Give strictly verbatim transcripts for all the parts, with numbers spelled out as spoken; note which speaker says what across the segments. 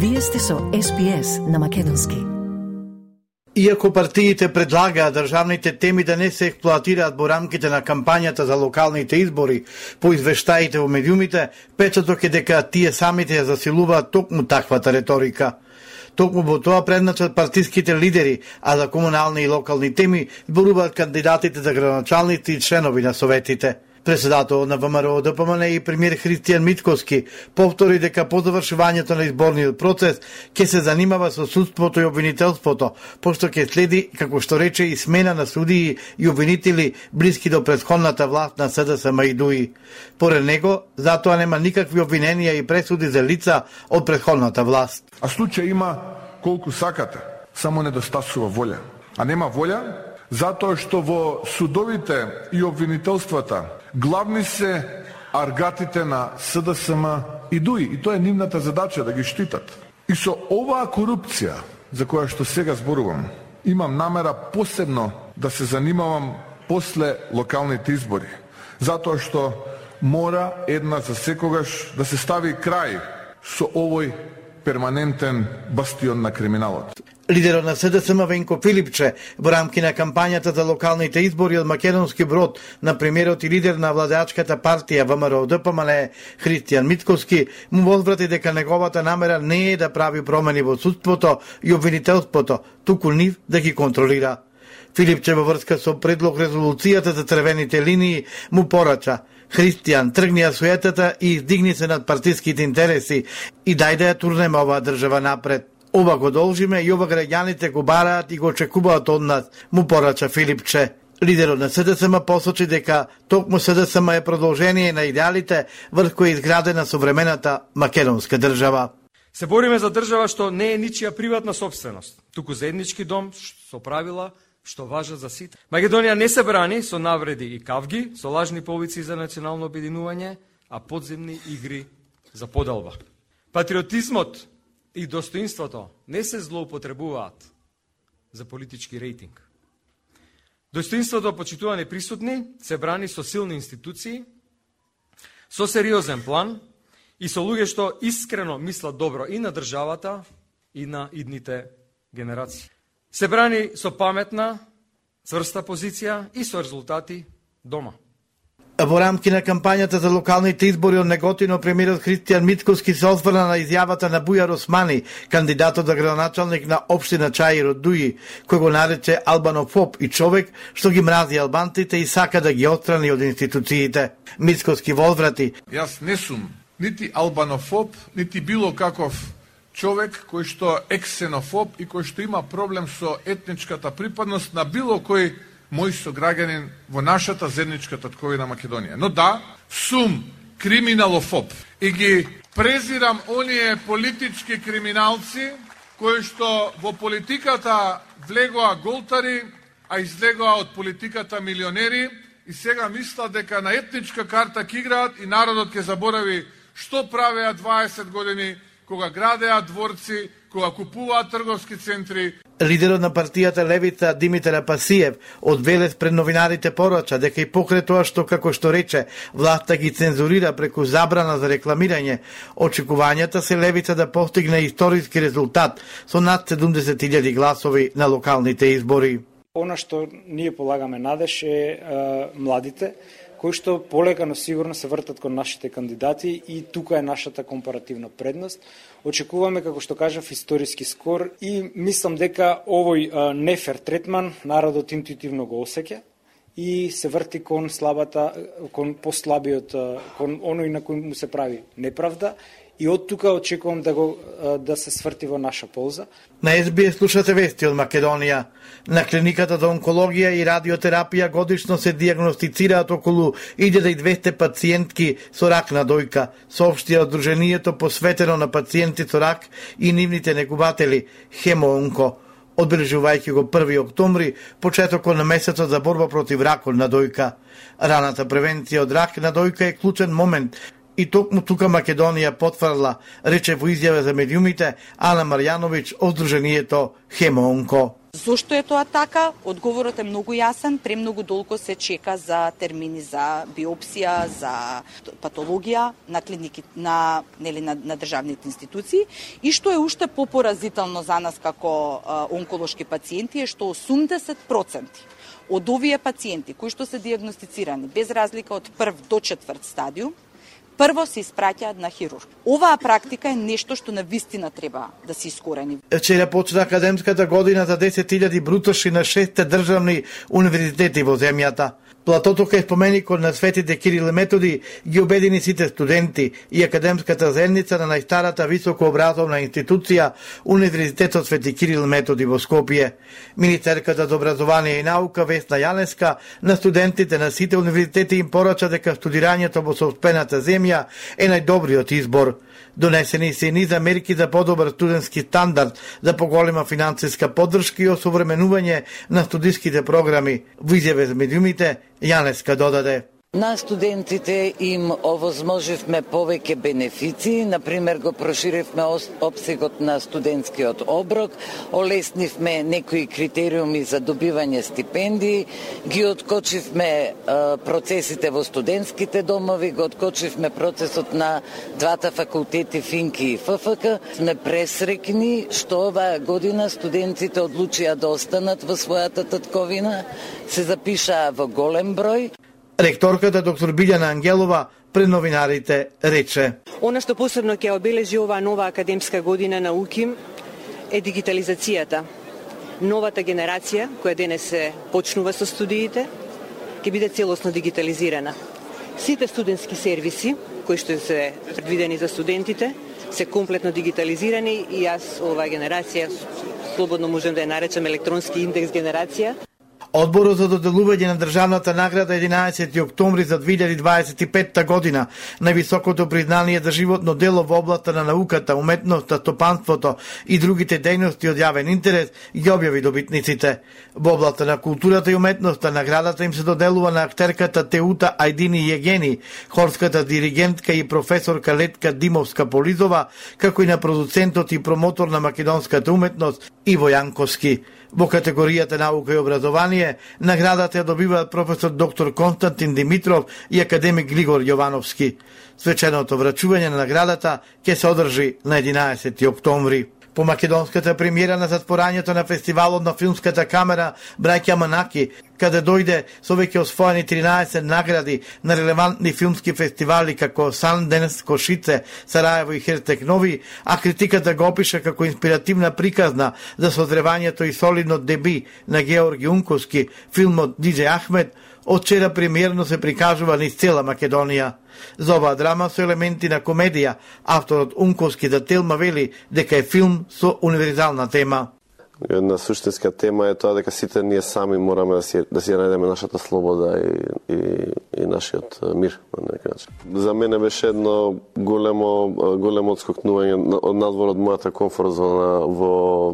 Speaker 1: Вие сте со Ес Би Ес на македонски.
Speaker 2: Иако партиите предлагаат државните теми да не се експлоатираат во рамките на кампањата за локалните избори по извештаите во медиумите, печаток е дека тие самите ја засилуваат токму таквата реторика. Токму во тоа предначат партиските лидери, а за комунални и локални теми зборуваат кандидатите за градоначалници и членови на советите. Председател на ВМРО Д П М Н и премиер Христијан Мицкоски повтори дека по завршувањето на изборниот процес ќе се занимава со судството и обвинителството, пошто ќе следи, како што рече, и смена на судии и обвинители блиски до претходната власт на С Д С М и Д У И. Поред него, затоа нема никакви обвиненија и пресуди за лица од претходната власт.
Speaker 3: А случај има колку сакате, само недостасува волја. А нема волја затоа што во судовите и обвинителствата главни се аргатите на С Д С М и Д У И, и тоа е нивната задача да ги штитат. И со оваа корупција, за која што сега зборувам, имам намера посебно да се занимавам после локалните избори, затоа што мора една за секогаш да се стави крај со овој перманентен бастион на криминалот.
Speaker 2: Лидерот на С Д С М Венко Филипче во рамки на кампањата за локалните избори од Македонски Брод на премиерот и лидер на владеачката партија В М Р Д П М Н Христијан Мицкоски му возврати дека неговата намера не е да прави промени во судството и обвинителството, туку нив да ги контролира. Филипче во врска со предлог резолуцијата за црвените линии му порача: Христијан, тргни ја суетата и издигни се над партиските интереси и дај да ја турнеме оваа држава напред. Ова го должиме и ова граѓаните го бараат и го очекуваат од нас, му порача Филипче. Лидерот на С Д С М посочи дека токму С Д С М е продолжение на идеалите врз кои е изградена современата македонска држава.
Speaker 4: Се бориме за држава што не е ничија приватна собственост, туку заеднички дом со правила што важат за сите. Македонија не се брани со навреди и кавги, со лажни повици за национално обединување, а подземни игри за подалба. Патриотизмот и достоинството не се злоупотребуваат за политички рейтинг. Достоинството, почитувани присутни, се брани со силни институции, со сериозен план и со луѓе што искрено мислат добро и на државата и на идните генерации. Се брани со паметна, цврста позиција и со резултати дома.
Speaker 2: Во рамки на кампањата за локалните избори од Неготино, премиерот Христијан Мицкоски се осврна на изјавата на Бујар Османи, кандидатот за градоначалник на општина Чаир од Д У И, кој го нарече албанофоб и човек што ги мрази албанците и сака да ги отстрани од институциите. Мицкоски возврати:
Speaker 3: Јас не сум нити албанофоб, нити било каков човек кој што е ксенофоб и кој што има проблем со етничката припадност на било кој мој сограѓанин во нашата заедничка татковина Македонија. Но да, сум криминалофоб и ги презирам оние политички криминалци кои што во политиката влегоа голтари, а излегоа од политиката милионери и сега мислат дека на етничка карта ќе играат и народот ќе заборави што правеа дваесет години кога градеа дворци, кога купуваат трговски центри.
Speaker 2: Лидерот на партијата Левица Димитар Апасиев од Велес пред новинарите порача дека и покрај тоа што, како што рече, власта ги цензурира преку забрана за рекламирање, очекувањата се Левица да постигне историски резултат со над седумдесет илјади гласови на локалните избори.
Speaker 5: Она што ние полагаме надеж е, е младите, кои што полека, но сигурно се вртат кон нашите кандидати и тука е нашата компаративна предност. Очекуваме, како што кажав, историски скор и мислам дека овој а, нефер третман народот интуитивно го осеќа и се врти кон слабата, кон послабиот, кон оној на кој му се прави неправда. И од тука очекувам да го да се сврти во наша полза.
Speaker 2: На Ес Би Ес слушате вести од Македонија. На клиниката за онкологија и радиотерапија годишно се дијагностицираат околу илјада и двесте пациентки со рак на дојка, соопштија Одруженијето посветено на пациенти со рак и нивните негуватели Хемоонко, одбележувајќи го први октомври, почетокот на месецот за борба против ракот на дојка. Раната превенција од рак на дојка е клучен момент. И токму тука Македонија потврдила, рече во изјава за медиумите Ана Марјановиќ од Сдруженијето Хемоонко.
Speaker 6: Зошто е тоа така? Одговорот е многу јасен, премногу долго се чека за термини за биопсија, за патологија на клиники, на нели на, на државните институции, и што е уште попоразително за нас како а, онколошки пациенти е што осумдесет проценти од овие пациенти кои што се дијагностицирани без разлика од прв до четврт стадиум, прво се испраќаат на хирург. Оваа практика е нешто што на вистина треба да се искорени.
Speaker 2: Вчера почна академската година за десет илјади брутоши на шестте државни универзитети во земјата. Платото кај споменикот на светите Кирил и Методи ги обедини сите студенти и академската заедница на најстарата високообразовна институција Универзитетот Свети Кирил и Методи во Скопје. Министерката за образование и наука Весна Јанеска на студентите на сите универзитети им порача дека студирањето во соопштената земја е најдобриот избор. Донесени се и низ мерки за подобар студентски стандард, за поголема финансиска поддршка и осовременување на студиските програми. Во изјаве за медиумите Јанеска додаде:
Speaker 7: На студентите им овозможивме повеќе бенефиции, например го проширивме опсегот на студентскиот оброк, олеснивме некои критериуми за добивање стипендии, ги откочивме е, процесите во студентските домови, го откочивме процесот на двата факултети Финки и ФФК. Сме пресрекни што оваа година студентите одлучија да останат во својата татковина, се запишаа во голем број.
Speaker 2: Ректорката доктор Билјана Ангелова пред новинарите рече:
Speaker 8: Она што посебно ќе обележи оваа нова академска година на УКИМ е дигитализацијата. Новата генерација, која денес се почнува со студиите, ќе биде целосно дигитализирана. Сите студентски сервиси, кои што се предвидени за студентите, се комплетно дигитализирани и јас оваа генерација слободно можем да ја наречам електронски индекс генерација.
Speaker 2: Одборот за доделување на државната награда единаесети октомври за две илјади дваесет и петта година, највисокото признание за животно дело во областа на науката, уметноста, стопанството и другите дејности од јавен интерес, ги објави добитниците. Во областа на културата и уметноста наградата им се доделува на актерката Теута Ајдини Јегени, хорската диригентка и професорка Летка Димовска-Полизова, како и на продуцентот и промотор на македонската уметност Иво Јанковски. Во категоријата наука и образование, наградата ја добиваат професор доктор Константин Димитров и академик Глигор Јовановски. Свеченото врачување на наградата ќе се одржи на единаесети октомври. По македонската премиера на затворањето на фестивалот на филмската камера Браќа Манаки, каде дојде со веќе освоени тринаесет награди на релевантни филмски фестивали како Санденс, Кошице, Сараево и Херцег Нови, а критиката го опиша како инспиративна приказна за созревањето и солидно деби на Георги Унковски, филмот Диџе Ахмед, од вчера премиерно се прикажува низ цела Македонија. За оваа драма со елементи на комедија, авторот Унковски за Телма вели дека е филм со универзална тема.
Speaker 9: Една суштинска тема е тоа дека сите ние сами мораме да си да си најдеме нашата слобода и и, и нашиот мир на некој начин. За мене беше едно големо големо отскокнување од надвор од мојата комфорт зона во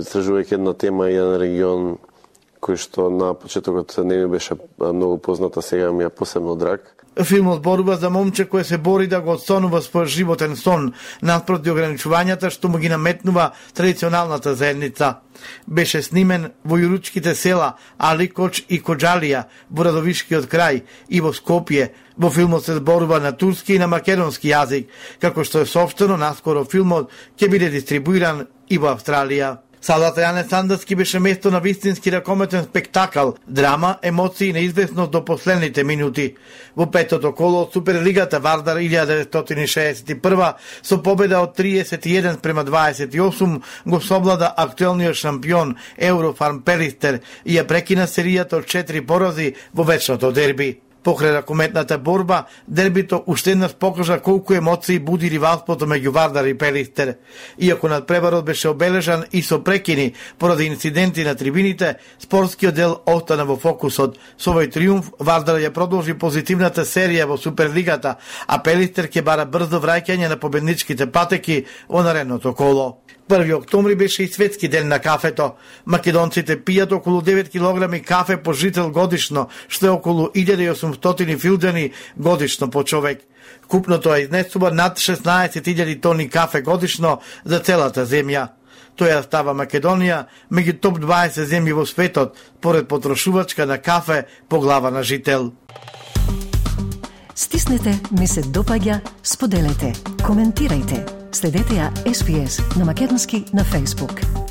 Speaker 9: истражувајќи една тема и еден регион кој што на почетокот не ми беше многу позната, сега ми е посебно драг.
Speaker 2: Филмот зборува за момче кој се бори да го отстонува својот животен сон наспроти ограничувањата што му ги наметнува традиционалната заедница. Беше снимен во јуручките села Аликоч и Коџалија во Радовишкиот крај и во Скопје. Во филмот се зборува на турски и на македонски јазик, како што е соопштено наскоро филмот ќе биде дистрибуиран и во Австралија. Салата Јане Сандовски беше место на вистински ракометен спектакл, драма, емоции и неизвестност до последните минути. Во петото коло од Суперлигата Вардар илјада деветстотини шеесет и прва со победа од триесет и еден спрема дваесет и осум го совлада актуелниот шампион Еврофарм Пелистер и ја прекина серијата од четири порази во вечното дерби. Покрај ракометната борба, дербито уште еднаш покажа колку емоции буди ривалството меѓу Вардар и Пелистер. Иако надпреварот беше обележан и со прекини поради инциденти на трибините, спортскиот дел остана во фокусот. Со овој триумф Вардар ја продолжи позитивната серија во Суперлигата, а Пелистер ќе бара брзо враќање на победничките патеки во наредното коло. први октомври беше и светски ден на кафето. Македонците пијат околу девет килограми кафе по жител годишно, што е околу илјада и осумстотини филџани годишно по човек. Купното е изнесува над шеснаесет илјади тони кафе годишно за целата земја. Тоја става Македонија меѓу топ дваесет земји во светот, поред потрошувачка на кафе по глава на жител.
Speaker 1: Стиснете, ми се допаѓа, споделете, коментирајте. Следете ја Ес Би Ес на македонски на Facebook.